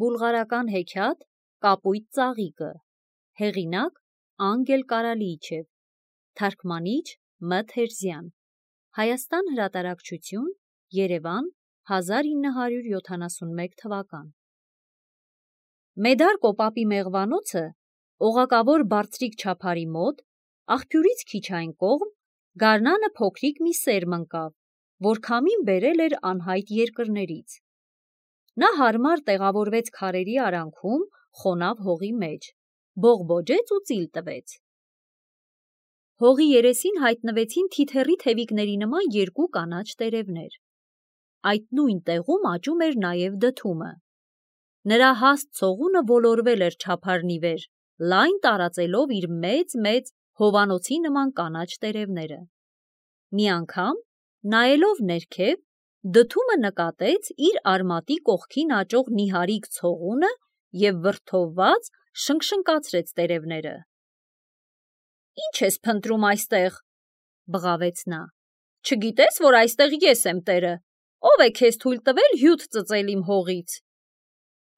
Բուլղարական հեքիաթ Կապույտ ծաղիկը, հեղինակ Անգել Կարալիիչև, թարգմանիչ Մ. Թերզյան, Հայաստան հրատարակչություն, Երևան, 1971 թվական։ Մեդար Կոպապի մեղվանոցը օղակավոր բարձրիկ չափարի մոտ, աղբյուրից քիչ այն կողմ, գարնանը փոքրիկ մի սերմ ընկավ, որ քամին բերել էր անհայտ երկրներից։ Նա հարմար տեղավորվեց քարերի արանքում, խոնավ հողի մեջ, բողբոջեց ու ծիլ տվեց։ Հողի երեսին հայտնվեցին թիթեռի թևիկների նման երկու կանաչ տերևներ։ Այդ նույն տեղում աճում էր նաև դդումը։ Նրա հաստ ցողունը ոլորվել էր չափարն ի վեր, լայն տարածելով իր մեծ հովանոցի նման կանաչ տերևները։ Մի անգամ, նայելով ներքև, դդումը նկատեց իր արմատի կողքին աճող նիհարիկ ցողունը և վրդովված շնկշնկացրեց տերևները։ «Ի՞նչ ես փնտրում այստեղ», բղավեց նա։ «Չգիտես, որ այստեղ ես եմ տերը։ Ո՞վ է քեզ թույլ տվել հյութ ծծել իմ հողից»։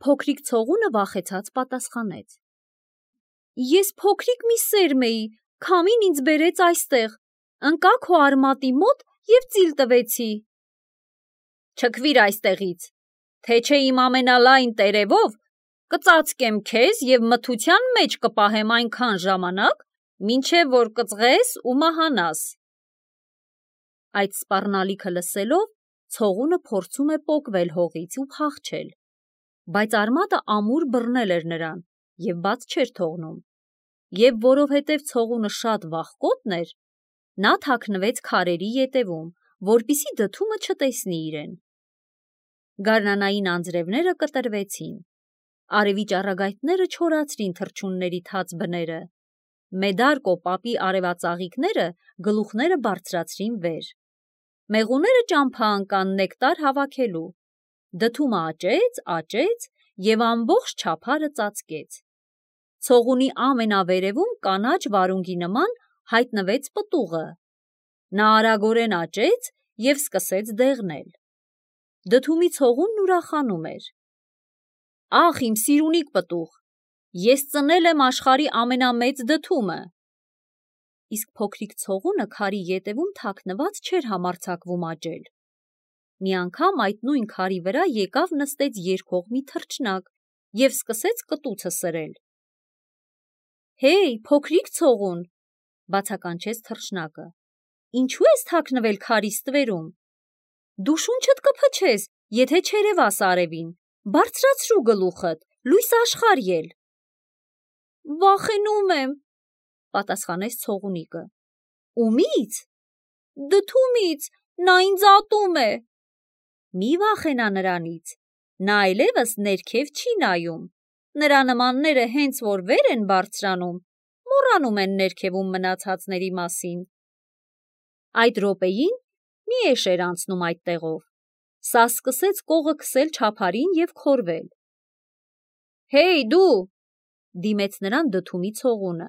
Փոքրիկ ցողունը վախեցած պատասխանեց. «Ես փոքրիկ մի սերմ էի, քամին ինձ բերեց այստեղ, ընկա քո արմատի մոտ և ծիլ տվեցի»։ «Չքվիր այստեղից, թե չէ իմ ամենալայն տերևով կծածկեմ քեզ և մթության մեջ կպահեմ այնքան ժամանակ, մինչև որ կծղես ու մահանաս»։ Այդ սպառնալիքը լսելով, ցողունը փորձում է պոկվել հողից ու փախչել, բայց արմատը ամուր բռնել էր նրան և բաց չէր թողնում, և որովհետև ցողունը շատ վախկոտն էր, նա թաքնվեց քարերի ետևում, որպեսզի դդումը չտեսնի իրեն։ Գարնանային անձրևները կտրվեցին, արևի ճառագայթները չորացրին թռչունների թաց բները, Մեդար Կոպապի արևածաղիկները գլուխները բարձրացրին վեր, մեղուները ճամփա ընկան նեկտար հավաքելու, դդումը աճեց և ամբողջ չափարը ծածկեց։ Ցողունի ամենավերևում կանաչ վարունգի նման հայտնվեց պտուղը։ Նա արագորեն աճեց և սկսեց դեղնել։ Դդումի ցողունն ուրախանում էր. «Ախ, իմ սիրունիկ պտուղ, ես ծնել եմ աշխարհի ամենամեծ դդումը»։ Իսկ փոքրիկ ցողունը քարի ետևում թաքնված չէր համարձակվում աճել։ Մի անգամ այդ նույն քարի վրա եկավ նստեց երգող մի թռչնակ և սկսեց կտուցը սրել։ «Հեյ, փոքրիկ ցողուն», բացականչեց թռչնակը, «ինչու ես թաքնվել քարի ստվերում։ Դու շունչդ կփչես, եթե չերևաս արևին, բարձրացրու գլուխդ, լույս աշխարհ ել»։ «Վախենում եմ», պատասխանեց ցողունիկը։ «Ումի՞ց»։ «Դդումից, նա ինձ ատում է»։ «Մի վախենա նրանից, նա այլևս ներքև չի նայում, նրա նմանները հենց որ վեր են բարձրանում, մոռանում են ներքևում մնացածների մասին»։ Այդ րոպեին մի էշ էր անցնում այդ տեղով, սա սկսեց կողը քսել չափարին և քորվել։ «Հեյ, դու», դիմեց նրան դդումի ցողունը։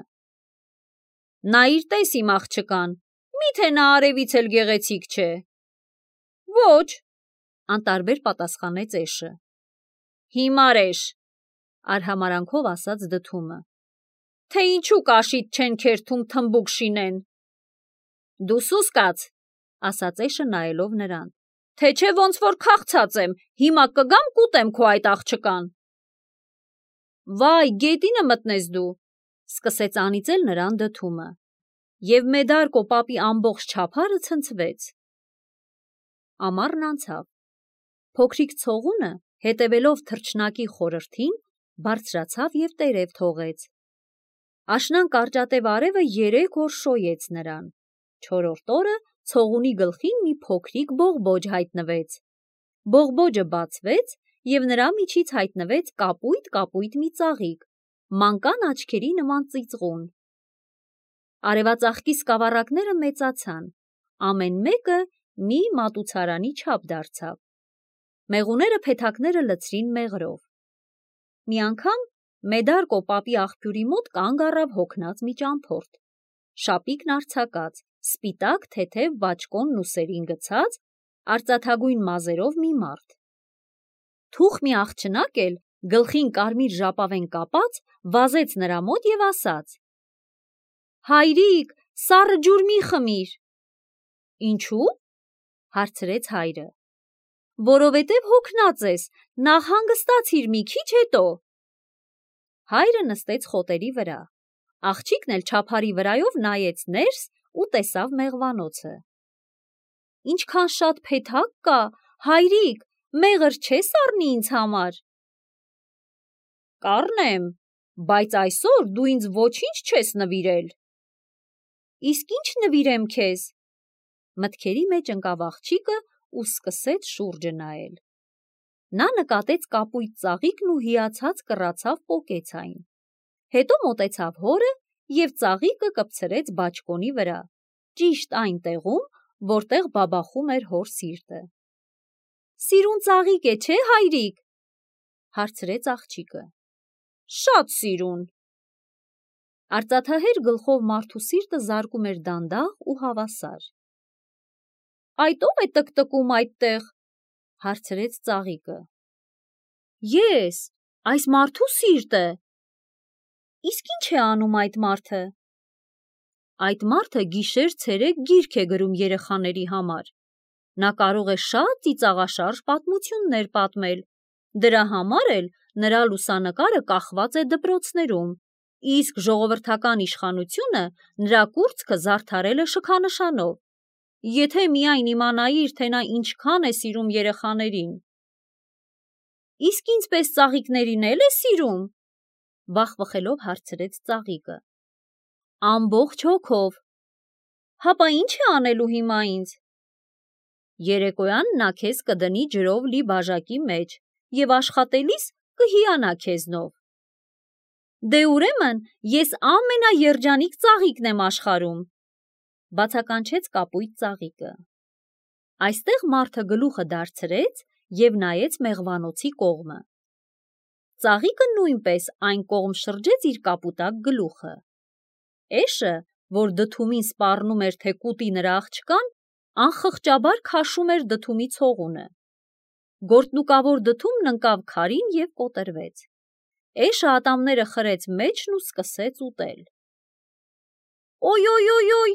«Նայիր տես իմ աղջկան, միթե նա արևից էլ գեղեցիկ չէ»։ «Ոչ», անտարբեր պատասխանեց էշը։ «Հիմար էշ», արհամարանքով ասաց դդումը, «թե ինչու կաշիդ չեն քերթում թմբուկ շինեն»։ «Դու սուս կաց», ասաց էշը նայելով նրան, «թե չէ ոնց որ քաղցած եմ, հիմա կգամ կուտեմ քո այդ աղջկան»։ «Վայ, գետինը մտնես դու», սկսեց անիծել նրան դդումը, և Մեդար Կոպապի ամբողջ չափարը ցնցվեց։ Ամառն անցավ։ Փոքրիկ ցողունը, հետևելով թռչնակի խորհրդին, բարձրացավ և տերև թողեց։ Աշնան կարճատև արևը 3 օր շոյեց նրան։ Չորրորդ օրը ցողունի գլխին մի փոքրիկ բողբոջ հայտնվեց։ Բողբոջը բացվեց, և նրա միջից հայտնվեց կապույտ մի ծաղիկ, մանկան աչքերի նման ծիծաղուն։ Արևածաղկի սկավառակները մեծացան, ամեն մեկը մի մատուցարանի չափ դարձավ։ Մեղուները փեթակները լցրին մեղրով։ Մի անգամ Մեդար Կոպապի աղբյուրի մոտ կանգ առավ հոգնած մի ճամփորդ, շապիկն արձակած, սպիտակ թեթև բաճկոնն ուսերին գցած, արծաթագույն մազերով մի մարդ։ «Թուխ մի աղջնակ էլ, գլխին կարմիր ժապավեն կապած, վազեց նրա մոտ և ասաց. «Հայրիկ, սառը ջուր մի խմիր»։ «Ինչու՞» հարցրեց հայրը։ «Որովհետև հոգնած ես, նախ հանգստացիր մի քիչ, հետո»։ Հայրը նստեց խոտերի վրա, աղջիկն էլ չափարի վրայով նայեց ներս ու տեսավ մեղվանոցը։ «Ինչքան շատ փեթակ կա, հայրիկ, մեղր չես առնի ինձ համար»։ «Կառնեմ, բայց այսօր դու ինձ ոչինչ չես նվիրել»։ «Իսկ ի՞նչ նվիրեմ քեզ»։ Մտքերի մեջ ընկավ աղջիկը ու սկսեց շուրջը նայել։ Նա նկատեց կապույտ ծաղիկն ու հիացած կռացավ պոկեց այն։ Հետո մոտեցավ հորը և ծաղիկը կպցրեց բաճկոնի վրա, ճիշտ այն տեղում, որտեղ բաբախում էր հոր սիրտը։ «Սիրուն ծաղիկ է, չէ՞ հայրիկ»։ հարցրեց աղջիկը։ «Շատ սիրուն»։ Արծաթահեր գլխով մարդու սիրտը զարկում էր դանդաղ ու հավասար։ «Այդ ո՞վ է տկտկում այդտեղ»։ հարցրեց ծաղիկը։ «Ես, այս մարդու սիրտը»։ «Իսկ ի՞նչ է անում այդ մարդը»։ «Այդ մարդը գիշեր-ցերեկ գիրք է գրում երեխաների համար։ Նա կարող է շատ ծիծաղաշարժ պատմություններ պատմել, դրա համար էլ նրա լուսանկարը կախված է դպրոցներում, իսկ ժողովրդական իշխանությունը նրա կուրծքը զարդարել է շքանշանով։ Եթե միայն իմանայիր, թե նա ինչքան է սիրում երեխաներին»։ «Իսկ ինձ պես ծաղիկներին է սիրում»։ բախվխելով հարցրեց ծաղիկը։ «Ամբողջ հոգով»։ «Հապա ի՞նչ է անելու հիմա ինձ»։ «Երեկոյան նա քեզ կդնի ջրով լի բաժակի մեջ և աշխատելիս կհիանա քեզնով»։ «Դե ուրեմն ես ամենաերջանիկ ծաղիկն եմ աշխարհում», բացականչեց կապույտ ծաղիկը։ Այստեղ մարդը գլուխը դարձրեց և նայեց մեղվանոցի կողմը։ Ծաղիկը նույնպես այն կողմ շրջեց իր կապուտակ գլուխը։ Էշը, որ դդումին սպառնում էր, թե կուտի նրա աղջկան, անխղճաբար քաշում էր դդումի ցողունը։ Գորտնուկավոր դդումն ընկավ քարին և կոտրվեց։ Էշը ատամները խրեց մեջն ու սկսեց ուտել։ «Օյ»,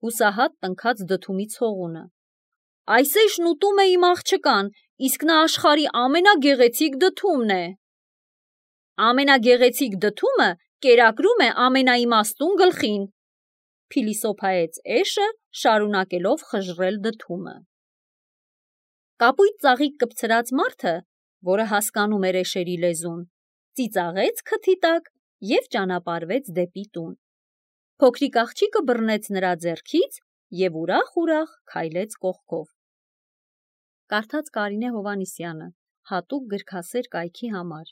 հուսահատ տնքաց դդումի ցողունը։ «Այս էշն ուտում է իմ աղջկան, իսկ նա աշխարհի ամենագեղեցիկ դդումն է»։ «Ամենագեղեցիկ դդումը կերակրում է ամենաիմաստուն գլխին», փիլիսոփայեց էշը, շարունակելով խժռել դդումը։ Կապույտ ծաղիկ կպցրած մարդը, որը հասկանում էր էշերի լեզուն, ծիծաղեց քթի տակ և ճանապարհվեց դեպի տուն։ Փոքրիկ աղջիկը բռնեց նրա ձեռքից և ուրախ քայլեց կողքով։ Կարդաց Կարինե Հովհաննիսյանը, հատուկ գրքասեր կայքի համար։